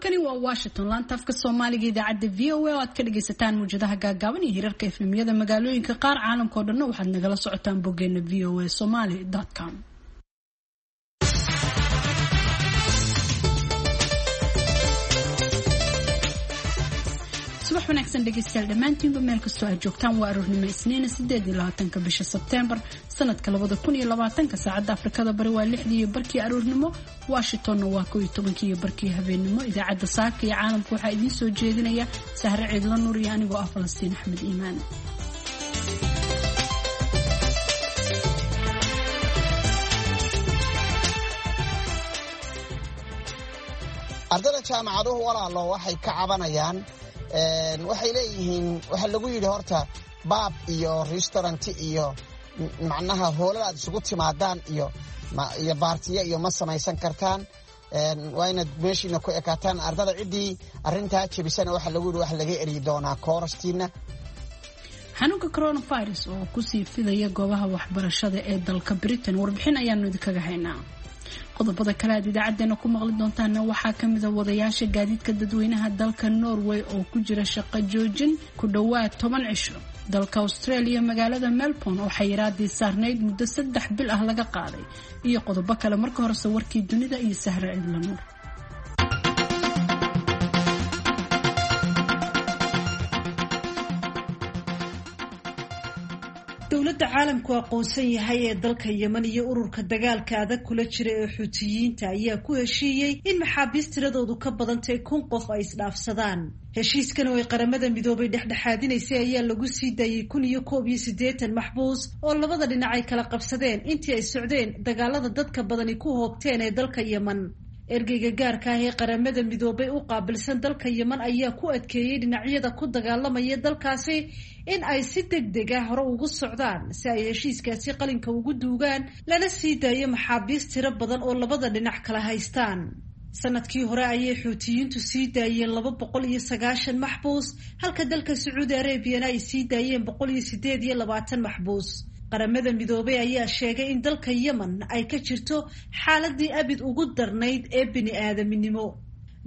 Halkani waa Washington, laanta afka Soomaaliga, idaacadda VOA oo aad ka dhagaysataan muwjadaha gaagaaban iyo hirarka FM-yada magaalooyinka qaar. Caalamka oo dhanna waxaad nagala socotaan boggeena voasomali.com. Subax wanaagsan dhegeystayaal dhammaantiinba meel kastoo aad joogtaan. Waa aroornimo Isniina, 28-ka bisha Sebteembar sanadka 2020-ka. Saacadda Afrikada Bari waa 6:30 aroornimo, Washingtonna waa 11:30 habeennimo. Idaacadda Saaka iyo Caalamka waxaa idiin soo jeedinaya Sahre Ciidla Nuur iyo anigoo ah Falastiin Axmed Iimaan. Ardada jaamacaduhu, walaalo, waxay ka cabanayaan, waxay leeyihiin waxaa lagu yidhi horta pub iyo restaurant iyo macnaha hoolal aad isugu timaadaan iyo party-yo iyo ma samaysan kartaan, waa inaad meeshiina ku ekaataan. Ardada ciddii arrintaa jebisana waxaa lagu yidhi waxa laga eryi doonaa koorastiina. Xanuunka coronavirus oo kusii fidaya goobaha waxbarashada ee dalka Britain, warbixin ayaanu idinkaga haynaa. Qodobada kale aad idaacadeena ku maqli doontaana waxaa kamida wadayaasha gaadiidka dadweynaha dalka Norway oo ku jira shaqo joojin ku dhowaad 10 cisho, dalka Australia magaalada Melbourne oo xayiraadii saarnayd muddo 3 bil ah laga qaaday, iyo qodobo kale. Marka horese warkii dunida iyo Sahre Cidla Nuur. Dowladda caalamku aqoonsan yahay ee dalka Yemen iyo ururka dagaalka adag kula jira ee Xuutiyiinta ayaa ku heshiiyey in maxaabiist tiradoodu ka badantay 1000 qof ay isdhaafsadaan. Heshiiskan oo ay Qaramada Midoobay dhexdhexaadinaysay ayaa lagu sii daayey 1081 maxbuus oo labada dhinac ay kala qabsadeen intii ay socdeen dagaalada dadka badani ku hoobteen ee dalka Yemen. Ergeyga gaarka ah ee Qaramada Midoobay u qaabilsan dalka Yemen ayaa ku adkeeyey dhinacyada ku dagaalamaya dalkaasi in ay si deg deg ah hore ugu socdaan si ay heshiiskaasi qalinka ugu duugaan, lana sii daayo maxaabiist tiro badan oo labada dhinac kala haystaan. Sanadkii hore ayay Xuutiyiintu sii daayeen 290 maxbuus, halka dalka Sacuudi Arabiyana ay sii daayeen 128 maxbuus. Qaramada Midoobay ayaa sheegay in dalka Yemen ay ka jirto xaaladii abid ugu darnayd ee bini aadaminimo.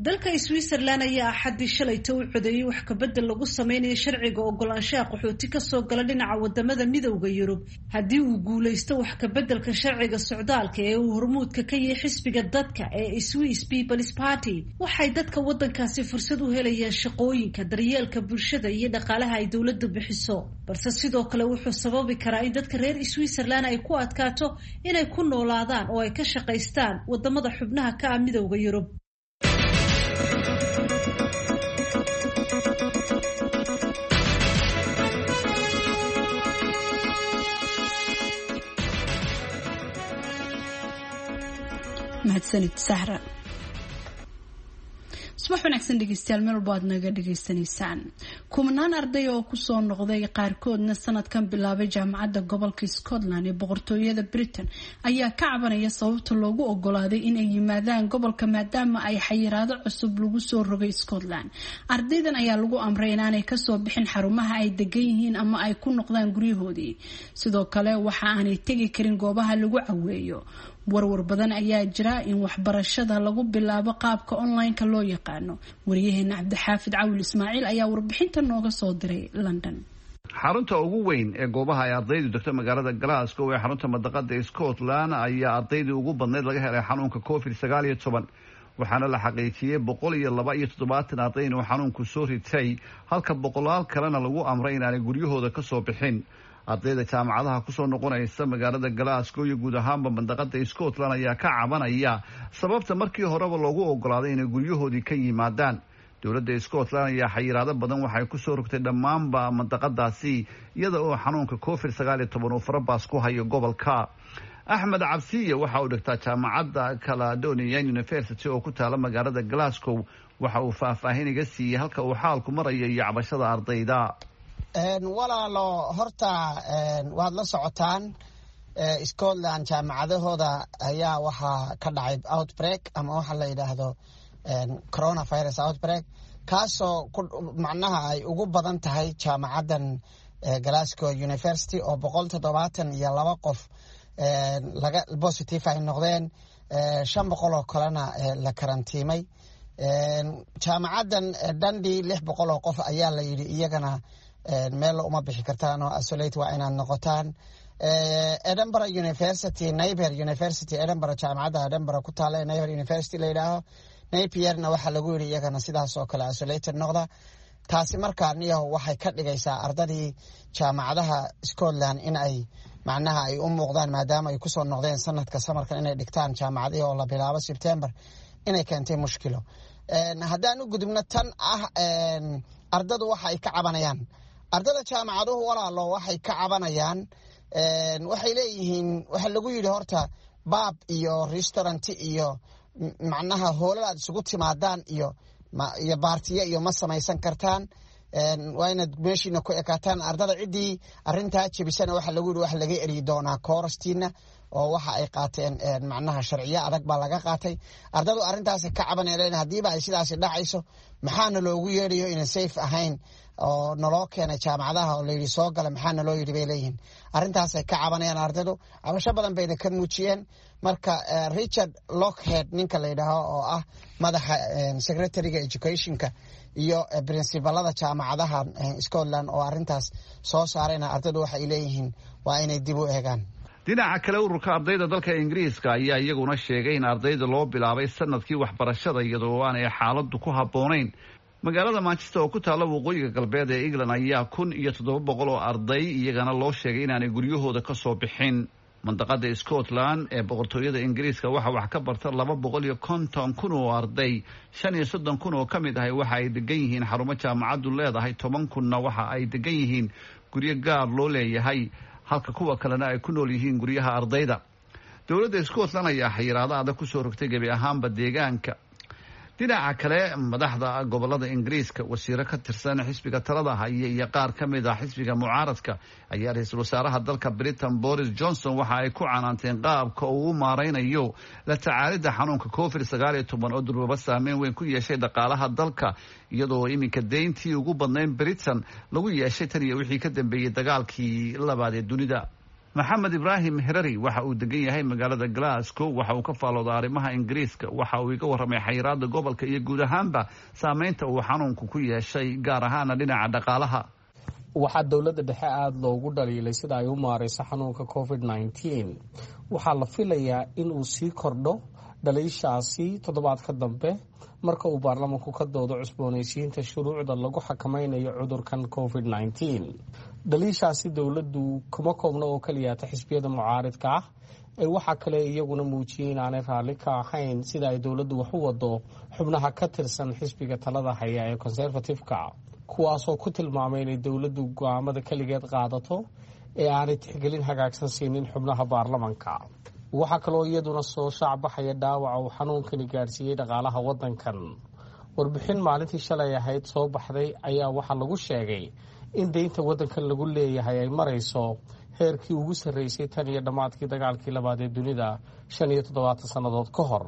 Dalka Switzerland ayaa Axaddii shalayta u codeeyey wax kabedel lagu sameynayo sharciga ogolaanshaha qaxooti kasoo gala dhinaca wadamada Midowda Yurub. Haddii uu guuleysto wax kabeddelka sharciga socdaalka ee uu hormuudka ka yahay xisbiga dadka ee Swiss People's Party, waxay dadka wadankaasi fursad u helayaan shaqooyinka, daryeelka bulshada iyo dhaqaalaha ay dowladdu bixiso. Balse sidoo kale wuxuu sababi karaa in dadka reer Switzerland ay ku adkaato inay ku noolaadaan oo ay ka shaqaystaan wadamada xubnaha ka ah Midowda Yurub. Mahadsanid Sahra. Subax wanaagsan dhegeystayaal meel walba aad naga dhegeysanaysaan. Kumanaan arday oo kusoo noqday, qaarkoodna sanadkan bilaabay jaamacadda gobolka Scotland ee boqortooyada Britain, ayaa ka cabanaya sababta loogu ogolaaday inay yimaadaan gobolka maadaama ay xayiraado cusub lagu soo rogay Scotland. Ardaydan ayaa lagu amray inaanay kasoo bixin xarumaha ay degan yihiin ama ay ku noqdaan guryahoodii. Sidoo kale waxa aanay tegi karin goobaha lagu caweeyo. Warwar badan ayaa jira in waxbarashada lagu bilaabo qaabka online-ka loo yaqaano. Wariyaheena Cabdixaafid Cawil Ismaaciil ayaa warbixinta nooga soo diray London. Xarunta ugu weyn ee goobaha ay ardaydu degto magaalada Glasgow ee xarunta mandaqada Scotland ayaa ardaydii ugu badnayd laga helay xanuunka COVID-19, waxaana la xaqiijiyey 172 arday inuu xanuunku soo ritay, halka boqolaal kalena lagu amray inaanay guryahooda kasoo bixin. Ardayda jaamacadaha kusoo noqonaysa magaalada Glasgow iyo guud ahaanba mandaqada Scotland ayaa ka cabanaya sababta markii horeba loogu ogolaaday inay guryahoodii ka yimaadaan. Dowladda Scotland ayaa xayiraado badan waxay kusoo rogtay dhammaanba mandaqadaasi, iyada oo xanuunka COVID-19 uu farabaas ku hayo gobolka. Axmed Cabsiye waxa uu dhigtaa jaamacadda Caledonian University oo ku taala magaalada Glasgow. Waxa uu faahfaahin iga siiyey halka uu xaalku marayo iyo cabashada ardayda. Walaalo, horta waad la socotaan, Scotland jaamacadahooda ayaa waxaa ka dhacay outbreak ama waxa la yidhaahdo coronavirus outbreak, kaasoo macnaha ay ugu badan tahay jaamacaddan Glasgow University oo 172 qof laga positive ay noqdeen, 500 oo kalena la karantiimay. Jaamacaddan Dundee 600 oo qof ayaa la yidhi iyagana meel uma bixi kartaan oo isolate waa inaad noqotaan. Edinburgh University, Napier University, Edinburgh, jaamacadda Edinburgh ku taala Napier University la yidhaaho, Napierna waxaa lagu yidhi iyagana sidaas oo kale isolated noqda. Taasi markaa niyaho waxay ka dhigaysaa ardadii jaamacadaha Scotland in ay macnaha ay u muuqdaan, maadaama ay kusoo noqdeen sanadka samarkan inay dhigtaan jaamacadihii oo la bilaabo Sebtember, inay keentay mushkilo. Haddaan u gudubno tan ah ardadu waxa ay ka cabanayaan, ardada jaamacaduhu walaalo waxay ka cabanayaan, waxay leeyihiin waxaa lagu yidhi horta pub iyo restaurant iyo macnaha hoolal aad isugu timaadaan iyo party-yo iyo ma samaysan kartaan, waa inaad meeshiina ku ekaataan. Ardada ciddii arrintaa jebisana waxaa lagu yidhi waxa laga eryi doonaa koorastiina, oo waxa ay qaateen macnaha sharciyo adag baa laga qaatay. Ardadu arrintaasi ka cabanayeen, haddiiba ay sidaasi dhacayso maxaana loogu yeedhayo inan safe ahayn oo naloo keenay jaamacadaha oo layidhi soo gala, maxaa naloo yidhi bay leeyihiin. Arrintaasay ka cabanayaan ardadu, cabasho badan bayna ka muujiyeen. Marka Richard Lockhead ninka la yidhaaho oo ah madaxa secretary-ga education-ka iyo principal-ada jaamacadaha Scotland oo arrintaas soo saarayna, ardadu waxay leeyihiin waa inay dib u eegaan. Dhinaca kale, ururka ardayda dalka Ingiriiska ayaa iyaguna sheegay in ardayda loo bilaabay sanadkii waxbarashada iyadoo aanay xaaladdu ku habboonayn. Magaalada Manchester oo ku taalla waqooyiga galbeed ee England ayaa 1700 oo arday iyagana loo sheegay inaanay guryahooda ka soo bixin. Mandaqada Scotland ee boqortooyada Ingiriiska waxaa wax ka barta 250,000 oo arday. 35,000 oo ka mid ahay waxa ay degan yihiin xarumo jaamacaddu leedahay, 10,000-na waxa ay degan yihiin guryo gaar loo leeyahay, halka kuwa kalena ay ku nool yihiin guryaha ardayda. Dowladda Scotland ayaa xayiraado adag kusoo rogtay gebi ahaanba deegaanka. Dhinaca kale, madaxda gobolada Ingiriiska, wasiiro ka tirsan xisbiga talada haya iyo qaar ka mid ah xisbiga mucaaradka ayaa ra-iisul wasaaraha dalka Britain Boris Johnson waxa ay ku canaanteen qaabka uu u maareynayo la tacaalidda xanuunka COVID-19 oo durbaba saameyn weyn ku yeeshay dhaqaalaha dalka, iyadoo iminka deyntii ugu badnayn Britain lagu yeeshay tan iyo wixii ka dambeeyey dagaalkii labaad ee dunida. Maxamed Ibraahim Herari waxa uu degan yahay magaalada Glasgow. Waxa uu ka faalooda arrimaha Ingiriiska. Waxa uu iga warramay xayiraada gobolka iyo guud ahaanba saameynta uu xanuunku ku yeeshay, gaar ahaana dhinaca dhaqaalaha. Waxaa dowladda dhexe aada loogu dhaliilay sida ay u maareyso xanuunka COVID-19. Waxaa la filayaa in uu sii kordho dhaliishaasi toddobaadka dambe marka uu baarlamanku ka doodo cusboonaysiinta shuruucda lagu xakameynayo cudurkan COVID-19. Dhaliishaasi dowladdu kuma koobna oo keliyaata xisbiyada mucaaridka ah ee waxaa kale iyaguna muujiyey inaanay raalli ka ahayn sida ay dowladdu wax u wado xubnaha ka tirsan xisbiga talada haya ee Conservative-ka, kuwaasoo ku tilmaamay inay dowladdu go-aamada keligeed qaadato ee aanay tixgelin hagaagsan siinin xubnaha baarlamanka. Waxaa kaloo iyaduna soo shaacbaxaya dhaawaca uu xanuunkani gaadhsiiyey dhaqaalaha waddankan. Warbixin maalintii shalay ahayd soo baxday ayaa waxaa lagu sheegay in deynta waddankan lagu leeyahay ay marayso heerkii ugu sarreysay tan iyo dhammaadkii dagaalkii labaad ee dunida 75 sannadood ka hor.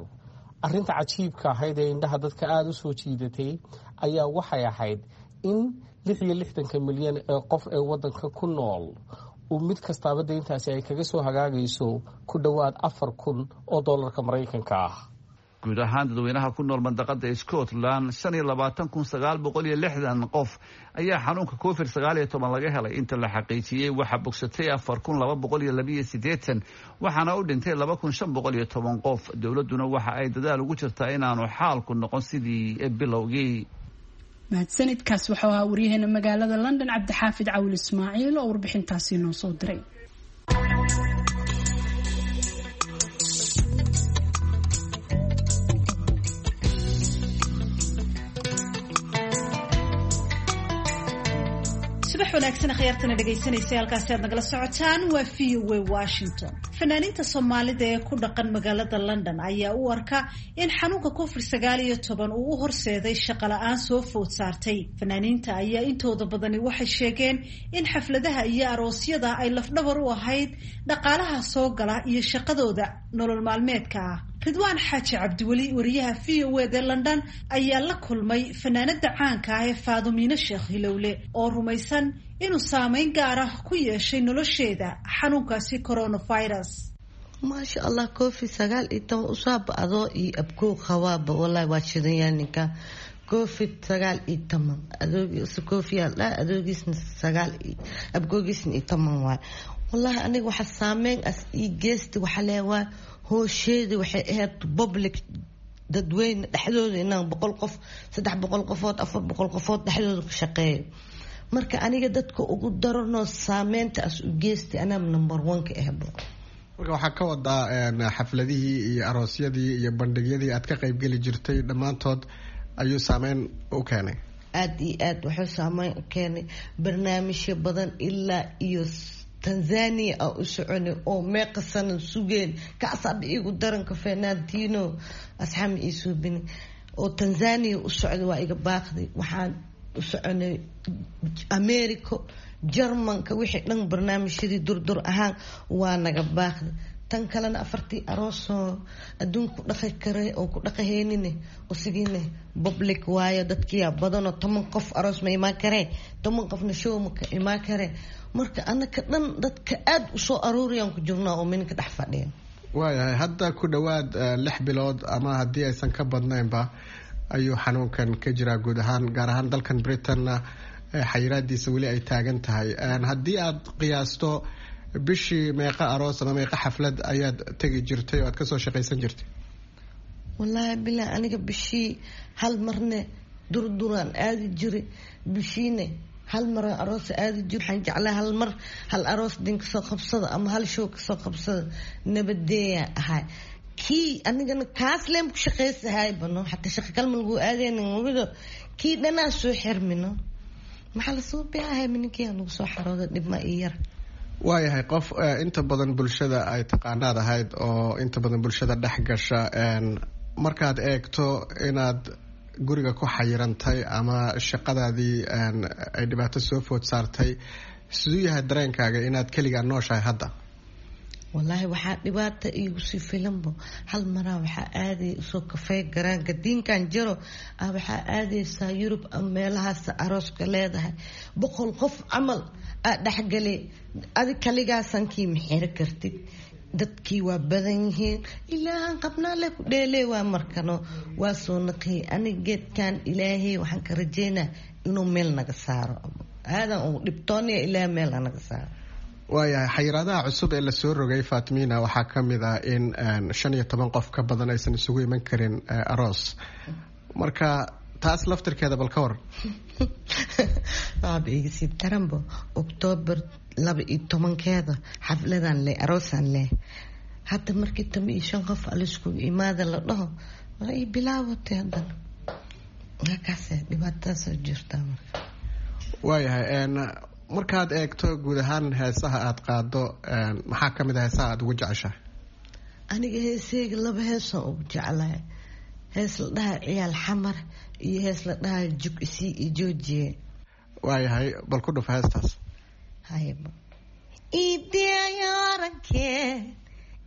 Arrinta cajiibka ahayd ee indhaha dadka aada u soo jiidatay ayaa waxay ahayd in 66-ka milyan ee qof ee waddanka ku nool uu mid kastaaba deyntaasi ay kaga soo hagaagayso ku dhowaad 4000 oo dollarka Maraykanka ah. Guud ahaan dadweynaha ku nool mandaqada Scotland 25,960 qof ayaa xanuunka COVID-19 laga helay inta la xaqiijiyey. Waxaa bogsatay 4282, waxaana u dhintay 2510 qof. Dowladduna waxa ay dadaal ugu jirtaa inaanu xaalku noqon sidii bilowgii. Mahadsanidkaas waxuu ahaa waryaheena magaalada London Cabdixaafid Cawil Ismaaciil oo warbixintaasi noo soo diray. Subax wanaagsan akhyaartana dhegaysanaysa, halkaasi aad nagala socotaan waa VOA Washington. Fanaaniinta Soomaalida ee ku dhaqan magaalada London ayaa u arka in xanuunka COVID-19 uu u horseeday shaqo la-aan soo food saartay. Fanaaniinta ayaa intooda badani waxay sheegeen in xafladaha iyo aroosyada ay lafdhabar u ahayd dhaqaalaha soo gala iyo shaqadooda nolol maalmeedka ah. Ridwaan Xaaji Cabdiweli, wariyaha VOA da London, ayaa la kulmay fanaanada caanka ah ee Faadumiine Sheekh Hilowle oo rumaysan inuu saameyn gaar ah ku yeeshay nolosheeda xanuunkaasi coronavirus. Maasha Allah, Covid 19 usaaba adoo iyo abkoo qabaaba, wallaahi waa shidanyaa ninka. Covid 19 adoogiis koofiyaa dhaa, adoogiisna sagaal, abkoogiisna iyo toban waay. Wallaahi aniga waxa saameyn as ii geesti waxa leewaa hoosheeda waxay ahayd public, dadweyne dhexdooda, inaan 100 qof, 300 qofood, 400 qofood dhexdooda ku shaqeeyo. Marka aniga dadka ugu daranoo saameynta as u geestay anaa number one ka ahbo. Marka waxaa ka wadaa xafladihii iyo aroosyadii iyo bandhigyadii aad ka qaybgeli jirtay dhammaantood ayuu saameyn u keenay? Aada iyo aad wuxuu saameyn u keenay barnaamijyo badan ilaa iyo Tanzania aa u soconay oo meeqa sana sugeen. Kaasaaba iigu daranka Fernandino asxaama ii suubini oo Tanzania u socday waa iga baaqday. Waxaan u soconay America, Jarmanka, wixii dhan barnaamijyadii durdur ahaan waa naga baaqday. Tan kalena afartii aroosoo adduunka ku dhaqi karay oo ku dhaqahaynine usigiine public waayo, dadkiyaa badanoo 10 qof aroos ma imaan karee, 10 qofna show ma ka imaan karee. Marka anaka dhan dadka aada u soo aruuriyaan ku jirnaa oo minka dhex fadhiya. Waayahay, hadda ku dhowaad 6 bilood ama haddii aysan ka badnaynba ayuu xanuunkan ka jiraa guud ahaan, gaar ahaan dalkan Britainna xayiraadiisa weli ay taagan tahay. Haddii aad qiyaasto, bishii meeqa aroos ama meeqa xaflad ayaad tegi jirtay oo aad kasoo shaqaysan jirtay? Wallaahi bilaa aniga bishii hal marne durduraan aadi jiray, bishiine hal maraan aroos aadi jir. Waxaan jeclaa hal mar hal aroos din kasoo qabsada ama hal show kasoo qabsada, nabadeeyaa ahay. Kii anigana kaas leen ku shaqaysahay bano, xataa shaqa kalma lagu aadaynin wabido kii dhanaa soo xirmino, maxaa lasoo beahay mininkiyaa lagu soo xarooda dhibma iyo yar. Waayahay, qof inta badan bulshada ay taqaanaad ahayd oo inta badan bulshada dhex gasha, markaad eegto inaad guriga ku xayirantay ama shaqadaadii ay dhibaato soo food saartay, siduu yahay dareenkaaga inaad keligaa nooshahay hadda? Wallaahi waxaa dhibaata iigu sii filanbo, hal maraa waxaa aaday usoo kafey garaanka diinkan jiro ah, waxaa aadaysaa Yurub ama meelahaas arooska leedahay, 100 qof camal aa dhexgalay, adi kaligaasankii ma xiri kartid, dadkii waa badan yihiin. Ilaahan qabnaa le ku dheelee waa markano waa soo naqiyay. Aniga geedkan Ilaahay waxaan ka rajeynaa inuu meel naga saaro, aadan uu dhibtoonaya, Ilaah meel naga saaro. Waayahay, xayiraadaha cusub ee lasoo rogay, Fatmina, waxaa ka mid ah in 15 qof ka badan aysan isugu iman karin aroos. Marka taas laftirkeeda bal ka waran? Waaba igasii daranbo, Oktoobar 12-keeda xafladan leh, aroosaan leh. Hadda markii 15 qof aliskugu imaada la dhaho, waa ii bilaabatay haddana halkaas dhibaatadaasoo jirtaa marka. Waayahay, markaad eegto guud ahaan heesaha aada qaado, maxaa ka mid a heesaha aada ugu jeceshahay? Aniga heeseyga laba heesaan ugu jeclahay, hees la dhaha Ciyaal Xamar iyo hees la dhaha Jug Isii iyo Joojiye. Waayahay, bal ku dhuf heestaas. Hayba iideyaarankee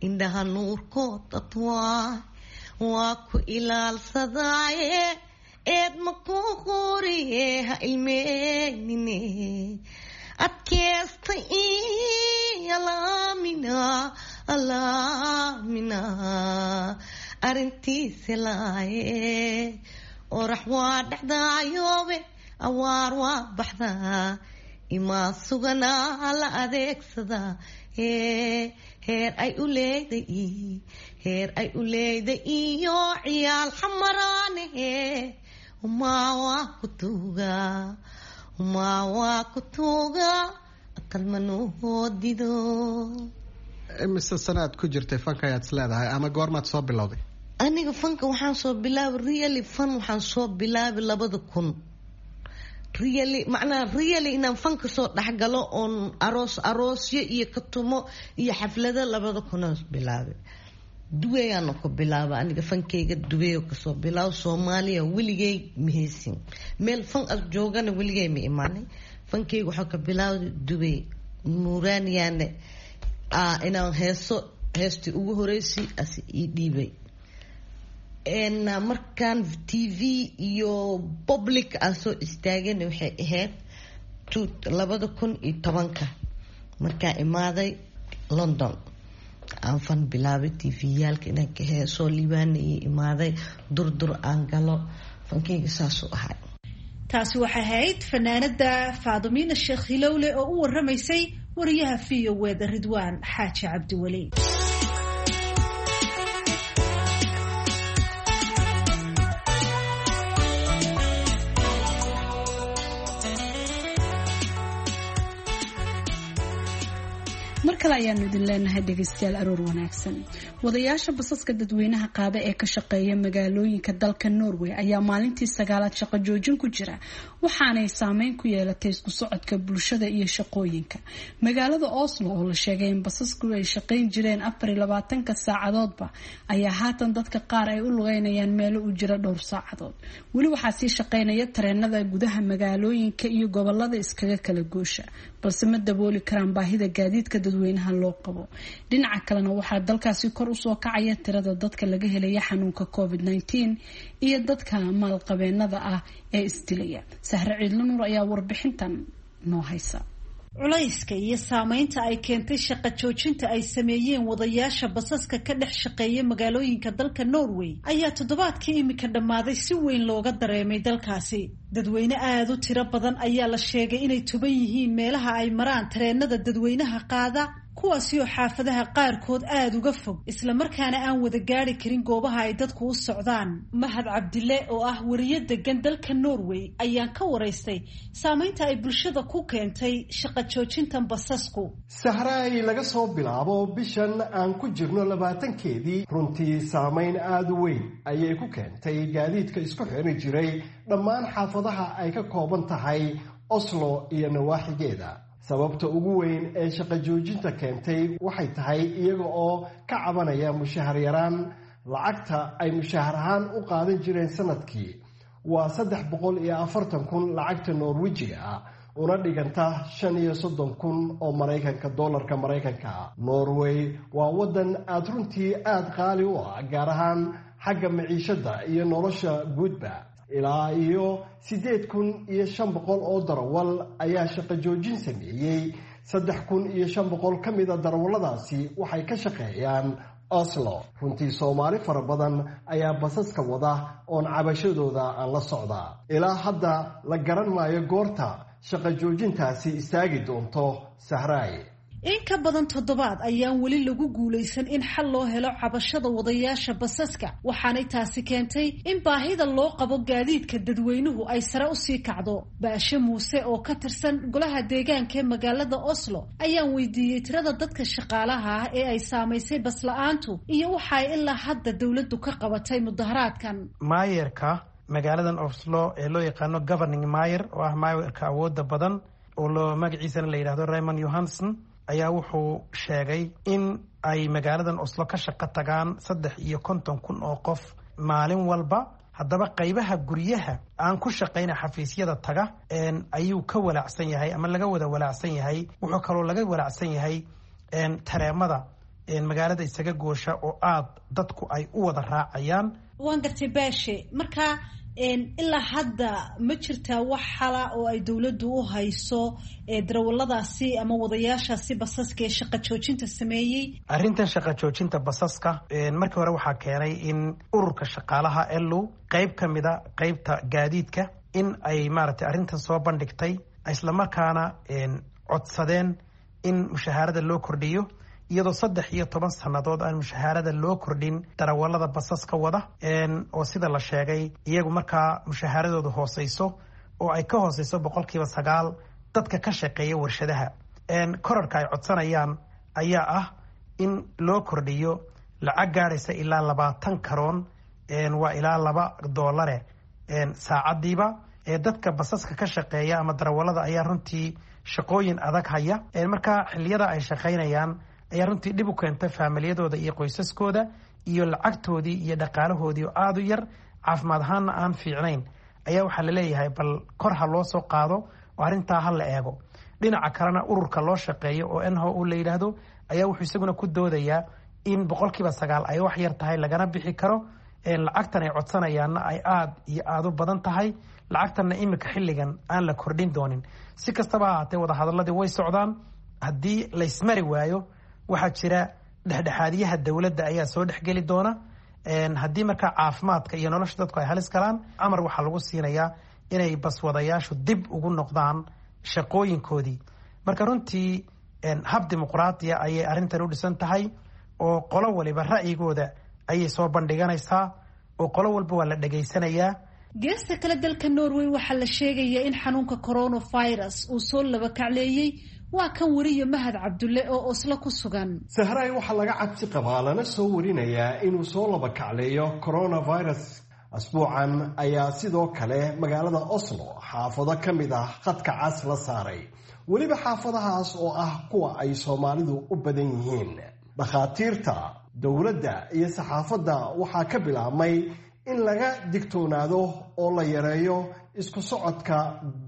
indhaha nuurkood adwaay waa ku ilaalsadaaye, eed ma ku qoriye, ha ilmeynine, adkeesta alaamina alaamina arrintiisa laaye, orax waa dhexdaayoobe, awaar waa baxdaa, imaa suganaa la adeegsadaa, heer ay u leeday, heer ay u leeday iyo Ciyaal Xamaraane, umaa waa ku tuuga, umaa waa ku tuuga, aqal manuhoodido. Imise sanaad ku jirtay fanka ayaad is leedahay ama goormaad soo bilowday? Aniga fanka waxaan soo bilaabay, really fan waxaan soo bilaabay 2000. Really, macnaha really inaan fanka soo dhexgalo oon aroos aroosyo iyo katumo iyo xaflado 2000aan bilaabay. Duweyaana ku bilaaba aniga fankeyga, Duweyo kasoo bilaabo. Soomaaliya weligey mahaysin, meel fan as joogana weligey ma imaanay. Fankeyga waxaa ka bilaabay Dubey Nuuraaniyaane inaan heeso, heestii ugu horeysay as ii dhiibay. Markaan TV iyo public aan soo istaagana waxay ahayd 2010-ka, markaan imaaday London. Aan fan bilaabay tviyaalka inaan ka heesoo Liibaana ii imaaday, Durdur aan galo. Fankeyga saasuu ahay. Taasi waxay ahayd fanaanada Faadumiina Sheekh Hilowle oo u waramaysay wariyaha VOA-da Ridwaan Xaaji Cabdiweli. Mar kale ayaanu idin leenahay, dhegaystayaal, aroor wanaagsan. Wadayaasha basaska dadweynaha qaada ee ka shaqeeya magaalooyinka dalka Norway ayaa maalintii sagaalaad shaqo joojin ku jira, waxaanay saameyn ku yeelatay isku socodka bulshada iyo shaqooyinka magaalada Oslo, oo la sheegay in basasku ay shaqayn jireen 24-ka saacadoodba, ayaa haatan dadka qaar ay u lugeynayaan meelo u jira dhowr saacadood. Weli waxaa sii shaqeynaya tareenada gudaha magaalooyinka iyo gobolada iskaga kala goosha, balse ma dabooli karaan baahida gaadiidka dadweynaha loo qabo. Dhinaca kalena, waxaa dalkaasi kor usoo kacaya tirada dadka laga helaya xanuunka COVID-19 iyo dadka maalqabeenada ah ee isdilaya. Sahre Ciidlo Nuur ayaa warbixintan noo haysa. Culayska iyo saameynta ay keentay shaqo joojinta ay sameeyeen wadayaasha basaska ka dhex shaqeeya magaalooyinka dalka Norway ayaa toddobaadkii imika dhammaaday si weyn looga dareemay dalkaasi. Dadweyne aada u tiro badan ayaa la sheegay inay tuban yihiin meelaha ay maraan tareenada dadweynaha qaada, kuwaasi oo xaafadaha qaarkood aada uga fog, islamarkaana aan wada gaari karin goobaha ay dadku u socdaan. Mahad Cabdile oo ah wariyo degan dalka Norway ayaan ka waraystay saameynta ay bulshada ku keentay shaqo joojintan basasku. Sahraay, laga soo bilaabo bishan aan ku jirno 20-keedii, runtii saameyn aada u weyn ayay ku keentay gaadiidka isku xiri jiray dhammaan xaafadaha ay ka kooban tahay Oslo iyo nawaaxigeeda. Sababta ugu weyn ee shaqo joojinta keentay waxay tahay iyaga oo ka cabanaya mushahar yaraan. Lacagta ay mushahar ahaan u qaadan jireen sanadkii waa 340,000 lacagta Norwejiga ah, una dhiganta 35,000 oo Maraykanka, doolarka Maraykanka ah. Norway waa waddan aada runtii aada qaali u ah, gaar ahaan xagga maciishadda iyo nolosha guudba. Ilaa iyo 8500 oo darawal ayaa shaqo joojin sameeyey. 3500 ka mida darawalladaasi waxay ka shaqeeyaan Oslo. Runtii Soomaali fara badan ayaa basaska wada oon cabashadooda aan la socdaa. Ilaa hadda la garan maayo goorta shaqo joojintaasi istaagi doonto, Sahraay. In ka badan toddobaad ayaan weli lagu guulaysan in xal loo helo cabashada wadayaasha basaska, waxaanay taasi keentay in baahida loo qabo gaadiidka dadweynuhu ay sare usii kacdo. Baashe Muuse oo ka tirsan golaha deegaanka ee magaalada Oslo ayaan weydiiyey tirada dadka shaqaalaha ah ee ay saamaysay basla'aantu iyo waxa ay ilaa hadda dowladdu ka qabatay mudaharaadkan. Maayerka magaaladan Oslo ee loo yaqaano governing mayer, oo ah maayerka awooda badan, oo loo magaciisana la yidhahdo Raymond Johansen, ayaa wuxuu sheegay in ay magaaladan Oslo ka shaqo tagaan 53,000 oo qof maalin walba. Haddaba qaybaha guryaha aan ku shaqayna, xafiisyada taga, ayuu ka walaacsan yahay ama laga wada walaacsan yahay. Wuxuu kaloo laga walaacsan yahay tareemada magaalada isaga goosha oo aada dadku ay u wada raacayaan. Waan gartay, Baashe. Marka ilaa hadda ma jirtaa wax xala oo ay dowladdu u hayso darawaladaasi ama wadayaashaasi basaska ee shaqa joojinta sameeyey? Arrintan shaqa joojinta basaska markii hore waxaa keenay in ururka shaqaalaha LO, qeyb ka mida qeybta gaadiidka, in ay maaragtay arrintan soo bandhigtay, islamarkaana codsadeen in mushahaarada loo kordhiyo, iyadoo 13 sannadood aan mushahaarada loo kordhin darawalada basaska wada, oo sida la sheegay iyagu markaa mushahaaradoodu hooseyso oo ay ka hooseyso 9% dadka ka shaqeeya warshadaha. Korarka ay codsanayaan ayaa ah in loo kordhiyo lacag gaadhaysa ilaa 20 karoon, waa ilaa $2 saacadiiba. Dadka basaska ka shaqeeya ama darawalada ayaa runtii shaqooyin adag haya. Markaa xilliyada ay shaqaynayaan ayaa runtii dhib u keenta faamilyadooda iyo qoysaskooda, iyo lacagtoodii iyo dhaqaalahoodii oo aada u yar, caafimaad ahaanna aan fiicnayn, ayaa waxaa laleeyahay bal kor ha loo soo qaado oo arrintaa ha la eego. Dhinaca kalena, ururka loo shaqeeyo oo NHO la yidhaahdo ayaa wuxuu isaguna ku doodayaa in 9% ay wax yar tahay, lagana bixi karo lacagtan ay codsanayaanna ay aada iyo aada u badan tahay, lacagtanna iminka xilligan aan la kordhin doonin. Si kastaba ha ahaatee, wadahadaladii way socdaan. Haddii laysmari waayo, waxaa jira Dhexdhexaadiyaha dowladda ayaa soo dhexgeli doona. Haddii markaa caafimaadka iyo nolosha dadku ay halis galaan, amar waxaa lagu siinayaa inay baswadayaashu dib ugu noqdaan shaqooyinkoodii. Marka runtii hab dimuqraadiya ayay arrintan u dhisan tahay, oo qolo waliba ra'yigooda ayay soo bandhiganaysaa, oo qolo walba waa la dhegaysanayaa. Geesta kale, dalka Norway waxaa la sheegayaa in xanuunka coronavirus uu soo laba kacleeyey. Waa kan weriye Mahad Cabdulle oo Oslo ku sugan. Sahraay, waxaa laga cabsi qabaa lana soo warinayaa inuu soo laba kacleeyo coronavirus. Asbuucan ayaa sidoo kale magaalada Oslo xaafado ka mid ah khadka cas la saaray, weliba xaafadahaas oo ah kuwa ay Soomaalidu u badan yihiin. Dhakhaatiirta, dowladda iyo saxaafadda waxaa ka bilaabmay in laga digtoonaado oo la yareeyo isku socodka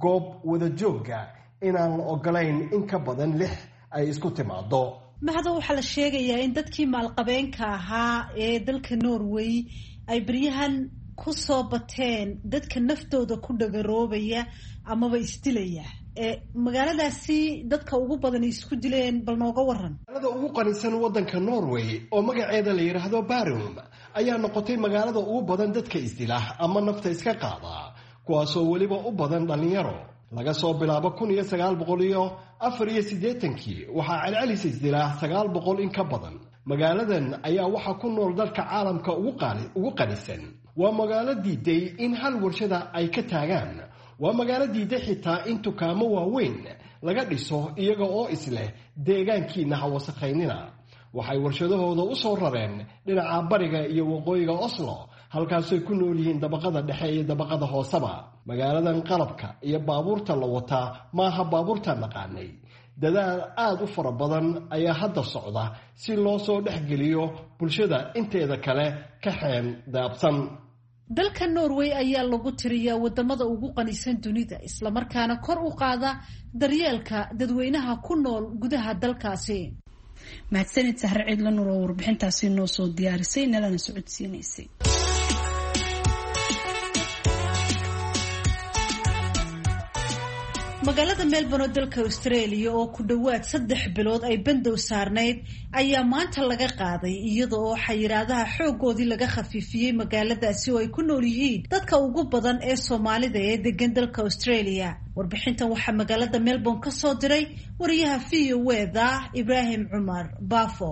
goob wadajoogga, inaan la ogolayn in ka badan lix ay isku timaado. Mahado, waxaa la sheegayaa in dadkii maalqabeenka ahaa ee dalka Norway ay beryahan ku soo bateen dadka naftooda ku dhagaroobaya amaba isdilaya. Magaaladaasi dadka ugu badan isku dileen, bal nooga waran. Magaalada ugu qanisan waddanka Norway oo magaceeda la yidhaahdo Barum ayaa noqotay magaalada ugu badan dadka isdila ama nafta iska qaada, kuwaasoo weliba u badan dhallinyaro. Laga soo bilaabo 1984-kii waxaa celcelis isdilaa 900 in ka badan. Magaaladan ayaa waxaa ku nool dalka caalamka ugu qanisan. Waa magaalo diiday in hal warshada ay ka taagaan. Waa magaalo diiday xitaa in dukaamo waaweyn laga dhiso, iyaga oo isleh deegaankiina ha wasakhaynina. Waxay warshadahooda u soo rareen dhinaca bariga iyo waqooyiga Oslo, halkaasay ku nool yihiin dabaqada dhexe iyo dabaqada hooseba. Magaaladan qalabka iyo baabuurta la wataa maaha baabuurta naqaanay. Dadaal aada u fara badan ayaa hadda socda si loo soo dhexgeliyo bulshada inteeda kale ka xeen daabsan. Dalka Norway ayaa lagu tiriyaa wadamada ugu qanisan dunida, islamarkaana kor u qaada daryeelka dadweynaha ku nool gudaha dalkaasi. Mahadsanid Sahre Ciidla Nuur oo warbixintaasi noo soo diyaarisay nalana socodsiinaysay. Magaalada Melbourne oo dalka Australia oo ku dhowaad 3 bilood ay bandow saarnayd ayaa maanta laga qaaday, iyada oo xayiraadaha xoogoodii laga khafiifiyey magaaladaasi oo ay ku nool yihiin dadka ugu badan ee Soomaalida ee degan dalka Australia. Warbixintan waxaa magaalada Melbourne ka soo diray wariyaha VOA-da Ibraahim Cumar Baafo.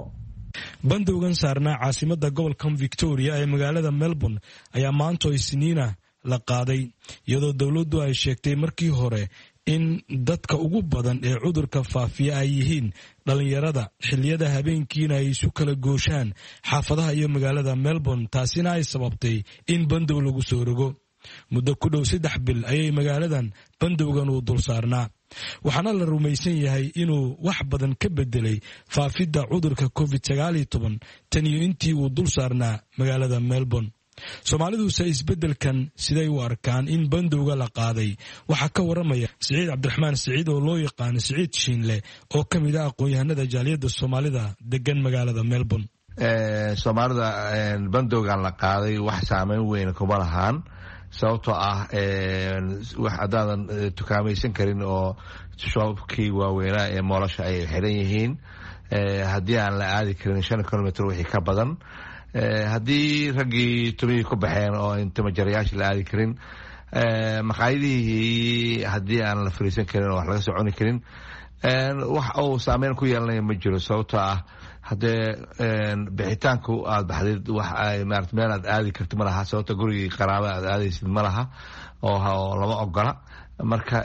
Bandowgan saarnaa caasimada gobolkan Victoria ee magaalada Melbourne ayaa maanto Isniina la qaaday, iyadoo dowladdu ay sheegtay markii hore in dadka ugu badan ee cudurka faafiya ay yihiin dhallinyarada, xilliyada habeenkiina ay isu kala gooshaan xaafadaha iyo magaalada Melbourne, taasina ay sababtay in bandow lagu soo rogo. Muddo ku dhow 3 bil ayay magaaladan bandowgan uu dul saarnaa, waxaana la rumaysan yahay inuu wax badan ka bedelay faafidda cudurka Covid 19 tan iyo intii uu dul saarnaa magaalada Melbourne. Soomaaliduse isbeddelkan siday u arkaan in bandowga la qaaday? Waxaa ka waramaya Siciid Cabdiraxmaan Siciid oo loo yaqaano Siciid Shiinle, oo ka mid ah aqoon-yahanada jaaliyadda Soomaalida degan magaalada Melbourne. Soomaalida bandowgan la qaaday wax saameyn weyn kuma lahaan, sababtoo ah wax haddaadan tukaamaysan karin oo shoobkii waaweynaa ee moolasha ay xiran yihiin, haddii aan la aadi karin 5 kilomitr wixii ka badan, haddii raggii tumihii ku baxeen oo intimajarayaasha la aadi karin, maqaayadihii haddii aan la fariisan karin oo wax laga soo cuni karin, wax uu saameyn ku yeelanaya ma jiro, sababtoo ah haddee bixitaanku aada baxdid wax ay maarata meel aad aadi karti ma laha, sababta gurigii qaraaba aad aadaysid ma laha oo lama ogola. Marka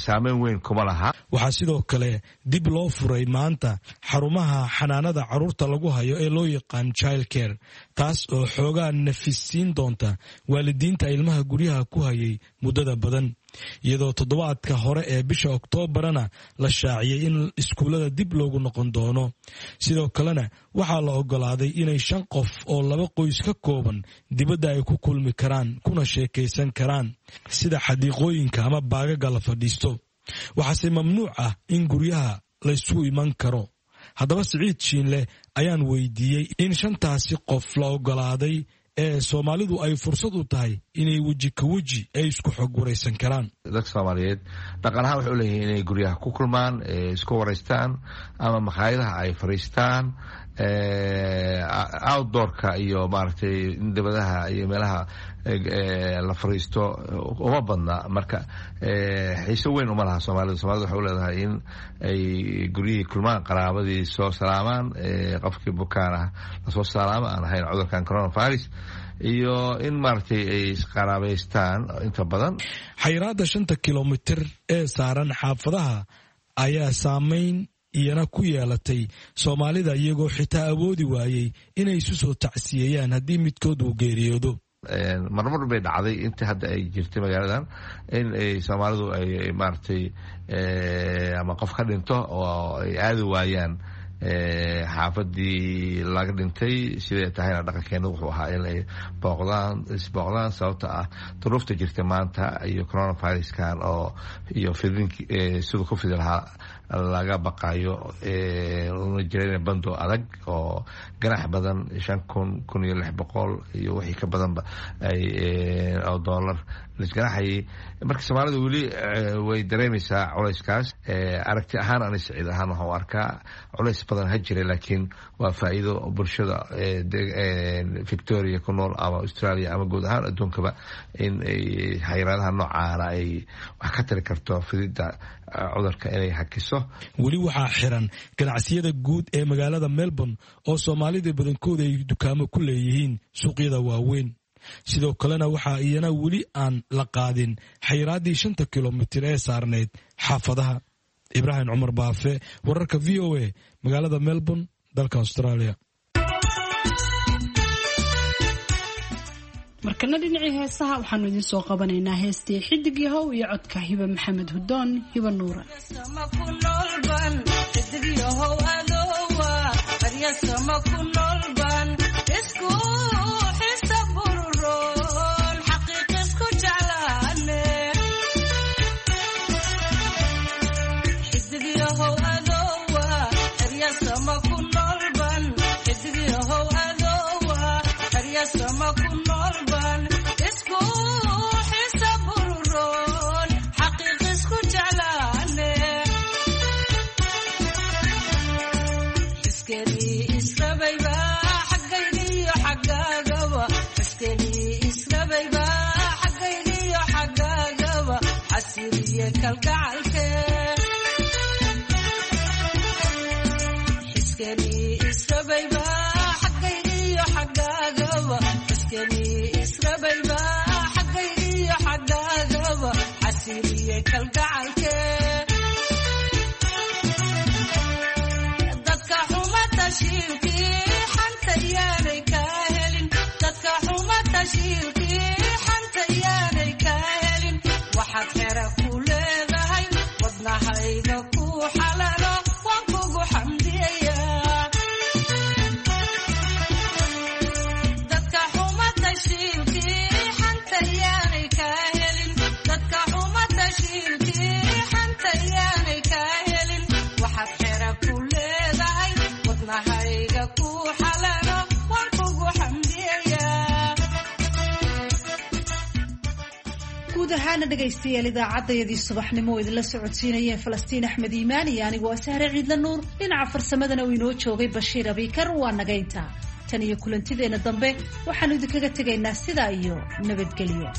saameyn weyn kuma laha. Waxaa sidoo kale dib loo furay maanta xarumaha xanaanada carruurta lagu hayo ee loo yaqaan child care, taas oo xoogaa nafisiin doonta waalidiinta ilmaha guryaha ku hayay muddada badan, iyadoo toddobaadka hore ee bisha Oktoobarana la shaaciyey in iskuullada dib loogu noqon doono. Sidoo kalena waxaa la ogolaaday inay shan qof oo laba qoys ka kooban dibadda ay ku kulmi karaan kuna sheekaysan karaan, sida xadiiqooyinka ama baagaga la fadhiisto. Waxaase mamnuuc ah in guryaha laysugu iman karo. Haddaba Siciid Shiinleh ayaan weydiiyey in shantaasi qof la ogolaaday ee Soomaalidu ay fursad u tahay inay weji ka weji ay isku xog waraysan karaan. Dadka Soomaaliyeed dhaqan ahaan waxay u leeyihiin inay guryaha ku kulmaan, isku wareystaan ama makhaayadaha ay fariistaan, outdoorka iyo maaragtay dibadaha iyo meelaha la fariisto uma badna. Marka xiiso weyn uma laha Soomaalida. Soomaalida waxay u leedahay in ay guryihii kulmaan, qaraabadii soo salaamaan, qofkii bukaan ah lasoo salaamo aan ahayn cudurkan coronavirus, iyo in maaragtay ay isqaraabaystaan inta badan. Xayiraadda 5ta kilomitir ee saaran xaafadaha ayaa saameyn iyana ku yeelatay Soomaalida, iyagoo xitaa awoodi waayey inay isu soo tacsiyeeyaan haddii midkood uu geeriyoodo. Marmar bay dhacday inta hadda ay jirtay magaaladan in ay Soomaalidu ay maaragtay ama qof ka dhinto oo ay aadi waayaan xaafadii laga dhintay. Siday tahayna dhaqankeena wuxuu ahaa in ay booqdaan, isbooqdaan, sababta ah duruufta jirta maanta iyo coronaviruskan oo iyo fidin siduu ku fidi lahaa laga baqayo, una jirana bando adag oo ganax badan 5,000, 1,600 iyo wixii ka badanba ay oo dollar laisganaxayay. Marka Soomaalida weli way dareemaysaa culayskaas. Aragti ahaan ani Siciid ahaan waxaan u arkaa culays badan ha jira, laakiin waa faa'iido bulshada Victoria ku nool ama Australia ama guud ahaan adduunkaba in ay xayiraadaha noocaana ay wax ka tari karto fididda cudurka inay hakiso. Weli waxaa xiran ganacsiyada guud ee magaalada Melbourne oo Soomaalida badankooda ay dukaamo ku leeyihiin suuqyada waaweyn. Sidoo kalena waxaa iyana weli aan la qaadin xayiraaddii 5ta kilomitir ee saarnayd xaafadaha. Ibraahim Cumar Baafe, wararka VOA, magaalada Melbourne, dalka Australia. Markana dhinacii heesaha waxaanu idiin soo qabanaynaa heestii Xidig Yahow iyo codka Hiba Maxamed Hudoon, Hiba Nuura. Ahaana dhegaystayaal, idaacadayadii subaxnimo oo idinla socodsiinayeen Falastiin Axmed Iimaan iyo anigoo Sahre Ciidla Nuur, dhinaca farsamadana uu inoo joogay Bashiir Abiikar, waa nagaynta. Tan iyo kulantideenna dambe waxaanu idinkaga tegaynaa sidaa iyo nabadgelyo.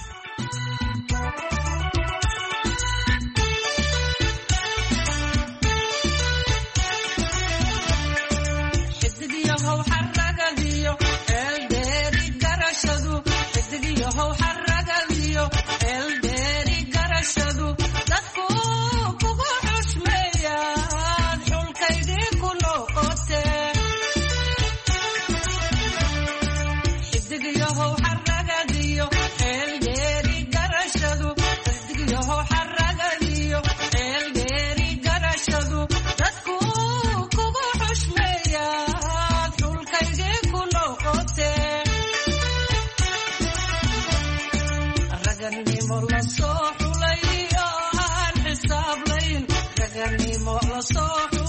So